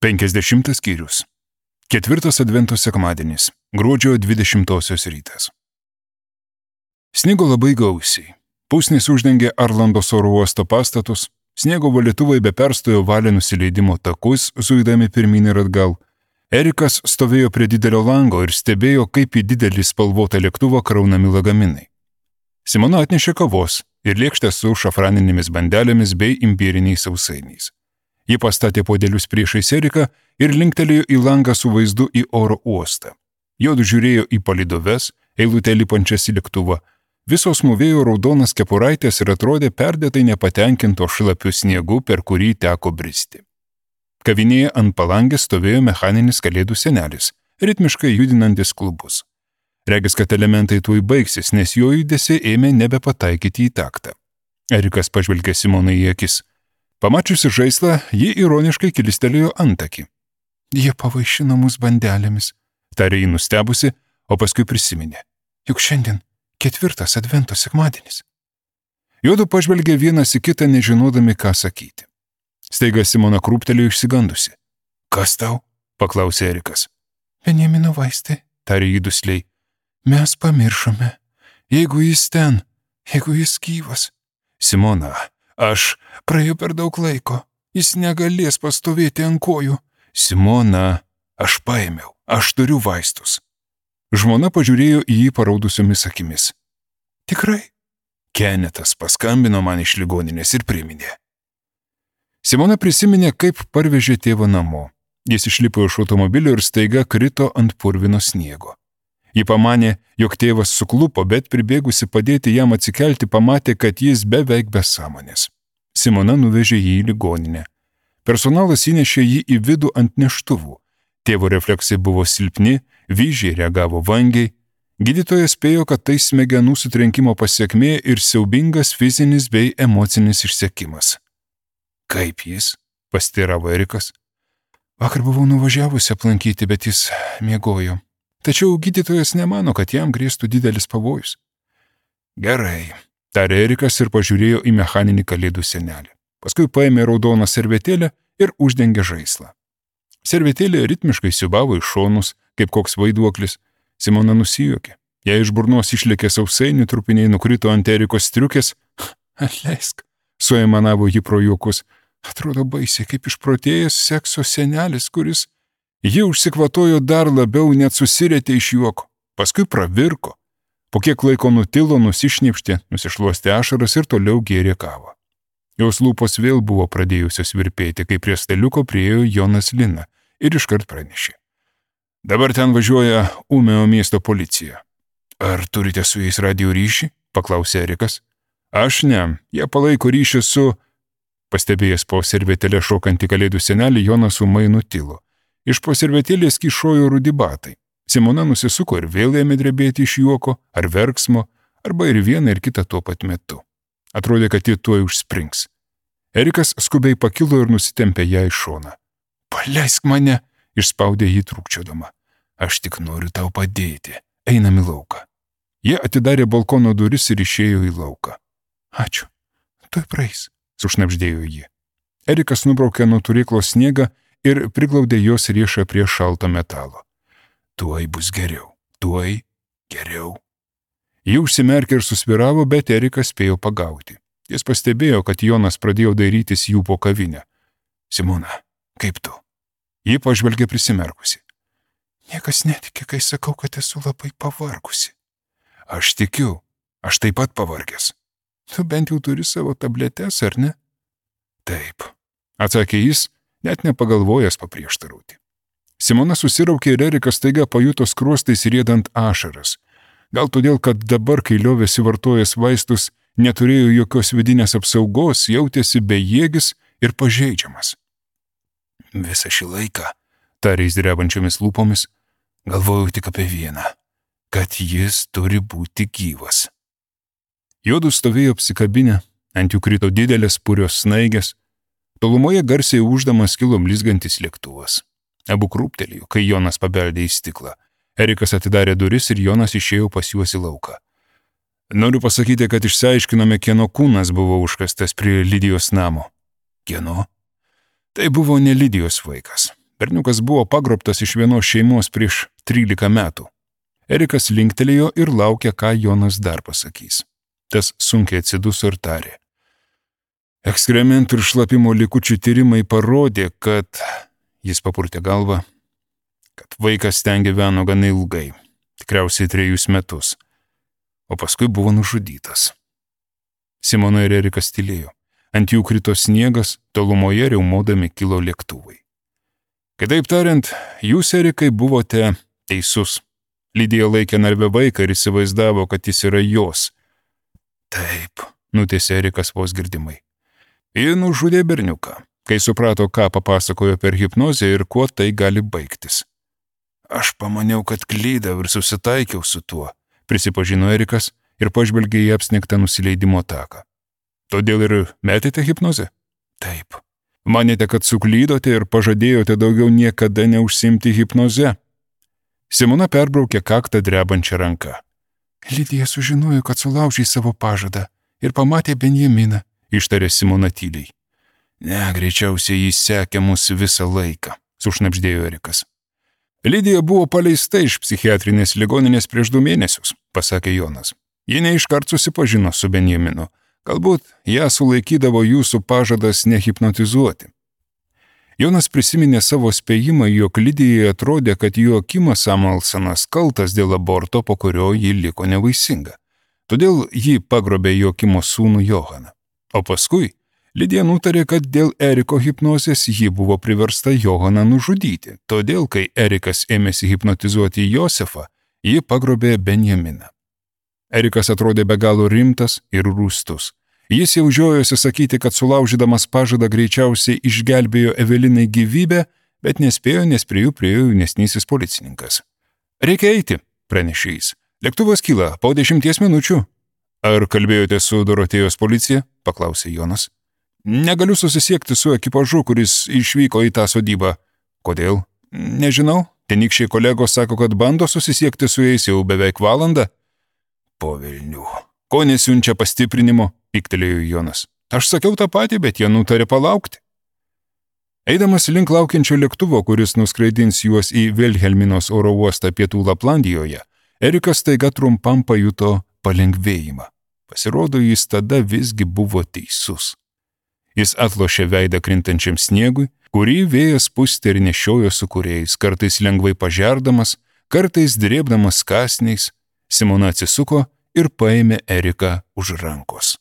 50 skyrius. 4 advento sekmadienis, gruodžio 20 rytas. Sniego labai gausiai. Pusnis uždengė Arlandos oro uosto pastatus, sniego valytuvai be perstojo valė nusileidimo takus, zuidami pirmyn ir atgal. Erikas stovėjo prie didelio lango ir stebėjo, kaip į didelį spalvotą lėktuvą kraunami lagaminai. Simona atnešė kavos ir lėkštę su šafraninėmis bandelėmis bei imbieriniais sausainiais. Ji pastatė podelius priešais Eriką ir linktelėjo į langą su vaizdu į oro uostą. Jodu žiūrėjo į palydoves, eilutę lipančias į lėktuvą. Visos mūvėjo raudonas kepuraitės ir atrodė perdėtai nepatenkinto šlapiu sniegu, per kurį teko bristi. Kavinėje ant palangės stovėjo mechaninis kalėdų senelis, ritmiškai judinantis klubus. Regis, kad elementai tuoj baigsis, nes jo judesiai ėmė nebepataikyti į taktą. Erikas pažvelgė Simonai į akis. Pamačiusi žaislą, ji ironiškai kilistelėjo antakį. Jie pavaišino mus bandelėmis, tarė ji nustebusi, o paskui prisiminė. Juk šiandien 4 advento sekmadienis. Jodu pažvelgė vienas į kitą, nežinodami, ką sakyti. Staiga Simona krūptelėjo išsigandusi. Kas tau? Paklausė Erikas. Benjamino vaistai, tarė ji dusliai. Mes pamiršome. Jeigu jis ten, jeigu jis gyvas. Simona, praėjo per daug laiko. Jis negalės pastovėti ant kojų. Simona, aš paėmiau, aš turiu vaistus. Žmona pažiūrėjo į jį paraudusiomis akimis. Tikrai? Kenetas paskambino man iš ligoninės ir priminė. Simona prisiminė, kaip parvežė tėvą namo. Jis išlipo iš automobilio ir staiga krito ant purvino sniego. Ji pamanė, jog tėvas suklupo, bet pribėgusi padėti jam atsikelti pamatė, kad jis beveik be sąmonės. Simona nuvežė jį į ligoninę. Personalas įnešė jį į vidų ant neštuvų. Tėvo refleksai buvo silpni, vyzdžiai reagavo vangiai. Gydytojas spėjo, kad tai smegenų sutrenkimo pasiekmė ir siaubingas fizinis bei emocinis išsekimas. Kaip jis? Pasiteiravo Erikas. Vakar buvau nuvažiavusi aplankyti, bet jis miegojo. Tačiau gydytojas nemano, kad jam grėstų didelis pavojus. Gerai, tarė Erikas ir pažiūrėjo į mechaninį kalėdų senelį. Paskui paėmė raudoną servetėlę ir uždengė žaislą. Servetėlė ritmiškai siūbavo į šonus, kaip koks vaiduoklis. Simona nusijuokė. Jei iš burnos išlėkė sausainių, trupiniai nukrito ant Erikos striukės. Atleisk, suaimanavo ji pro juokus. Atrodo baisiai, kaip išprotėjęs sekso senelis, kuris... Ji užsikvatojo dar labiau, net susirėtė iš juoko. Paskui pravirko. Po kiek laiko nutilo, nusišnipštė, nusišluostė ašaras ir toliau gėrė kavą. Jos lūpos vėl buvo pradėjusios virpėti, kai prie staliuko priėjo Jonas Lina ir iškart pranešė. Dabar ten važiuoja Umeo miesto policija. Ar turite su jais radijo ryšį? Paklausė Erikas. Aš ne, jie palaiko ryšį su... Pastebėjęs po servetėlę šokantį kalėdų senelį, Jonas ūmai nutilo. Iš po servetėlės kyšojo rudi batai. Simona nusisuko ir vėl ėmė drebėti iš juoko, ar verksmo, arba ir vieną ir kitą tuo pat metu. Atrodė, kad ji tuoj užsprings. Erikas skubiai pakilo ir nusitempė ją į šoną. Paleisk mane, išspaudė jį trūkčiodama. Aš tik noriu tau padėti. Einam į lauką. Jie atidarė balkono duris ir išėjo į lauką. Ačiū. Tuoj praeis, sušnabždėjo ji. Erikas nubraukė nuo turėklo sniegą ir priglaudė jos riešą prie šalto metalo. Tuoj bus geriau, tuoj geriau. Ji užsimerkė ir susviravo, bet Erikas spėjo pagauti. Jis pastebėjo, kad Jonas pradėjo dairytis jų po kavinę. Simona, kaip tu? Ji pažvelgė prisimerkusi. Niekas netikė, kai sakau, kad esu labai pavargusi. Aš tikiu, aš taip pat pavargęs. Tu bent jau turi savo tabletes, ar ne? Taip, atsakė jis, net nepagalvojęs paprieštarauti. Simona susiraukė ir Erikas staiga pajuto skruostais riedant ašaras. Gal todėl, kad dabar, kai liovėsi vartojęs vaistus, neturėjo jokios vidinės apsaugos, jautėsi bejėgis ir pažeidžiamas. Visą šį laiką, tarė jis drebančiomis lūpomis, galvojau tik apie vieną, kad jis turi būti gyvas. Jodu stovėjo apsikabinę, ant jų krito didelės purios snaigės, tolumoje garsiai ūždamas kilo blizgantis lėktuvas. Abu krūptelėjo, kai Jonas pabeldė į stiklą. Erikas atidarė duris ir Jonas išėjo pas juos į lauką. Noriu pasakyti, kad išsiaiškinome, kieno kūnas buvo užkastas prie Lidijos namo. Kieno? Tai buvo ne Lidijos vaikas. Berniukas buvo pagrobtas iš vienos šeimos prieš 13 metų. Erikas linktelėjo ir laukė, ką Jonas dar pasakys. Tas sunkiai atsiduso ir tarė. Ekskrementų ir šlapimo likučių tyrimai parodė, kad, jis papurtė galvą, kad vaikas ten gyveno gana ilgai, tikriausiai 3 metus, o paskui buvo nužudytas. Simona ir Erikas tylėjo. Ant jų krito sniegas, tolumoje riaumodami kilo lėktuvai. Kitaip tariant, jūs, Erikai, buvote teisus. Lidija laikė narve vaiką ir įsivaizdavo, kad jis yra jos. Taip, nutėsė Erikas vos girdimai. Ji nužudė berniuką, kai suprato, ką papasakojo per hipnozę ir kuo tai gali baigtis. Aš pamaniau, kad klydau ir susitaikiau su tuo, prisipažino Erikas ir pažvelgė į apsnigtą nusileidimo taką. Todėl ir metėte hipnozę? Taip. Manėte, kad suklydote ir pažadėjote daugiau niekada neužsimti hipnoze? Simona perbraukė kaktą drebančią ranką. Lidija sužinojo, kad sulaužė savo pažadą ir pamatė Benjaminą, ištarė Simona tyliai. Ne, greičiausiai jis sekė mus visą laiką, sušnabždėjo Erikas. Lidija buvo paleista iš psichiatrinės ligoninės prieš 2 mėnesius, pasakė Jonas. Ji neiškart susipažino su Benjaminu. Galbūt ją sulaikydavo jūsų pažadas nehipnotizuoti. Jonas prisiminė savo spėjimą, jog Lidijai atrodė, kad Joakimas Amalsonas kaltas dėl aborto, po kurio ji liko nevaisinga. Todėl ji pagrobė Joakimo sūnų Johaną. O paskui Lidija nutarė, kad dėl Eriko hipnozės ji buvo priversta Johaną nužudyti. Todėl, kai Erikas ėmėsi hipnotizuoti Josefą, ji pagrobė Benjaminą. Erikas atrodė be galo rimtas ir rūstus. Jis jau žiojosi sakyti, kad sulaužydamas pažadą greičiausiai išgelbėjo Evelinai gyvybę, bet nespėjo, nes prie jų priėjo jaunesnysis policininkas. Reikia eiti, pranešė jis. Lėktuvas kyla po 10 minučių. Ar kalbėjote su Dorotėjos policija? Paklausė Jonas. Negaliu susisiekti su ekipažu, kuris išvyko į tą sodybą. Kodėl? Nežinau. Tenykščiai kolegos sako, kad bando susisiekti su jais jau beveik valandą. Po velnių. Ko nesiunčia pastiprinimo? Piktelėjo Jonas. Aš sakiau tą patį, bet jie nutarė palaukti. Eidamas link laukiančio lėktuvo, kuris nuskraidins juos į Vilhelminos oro uostą pietų Laplandijoje, Erikas staiga trumpam pajuto palengvėjimą. Pasirodo, jis tada visgi buvo teisus. Jis atlošė veidą krintančiam sniegui, kurį vėjas pustė ir nešiojo su kuriais, kartais lengvai pažerdamas, kartais drėbdamas kąsniais. Simona atsisuko ir paėmė Eriką už rankos.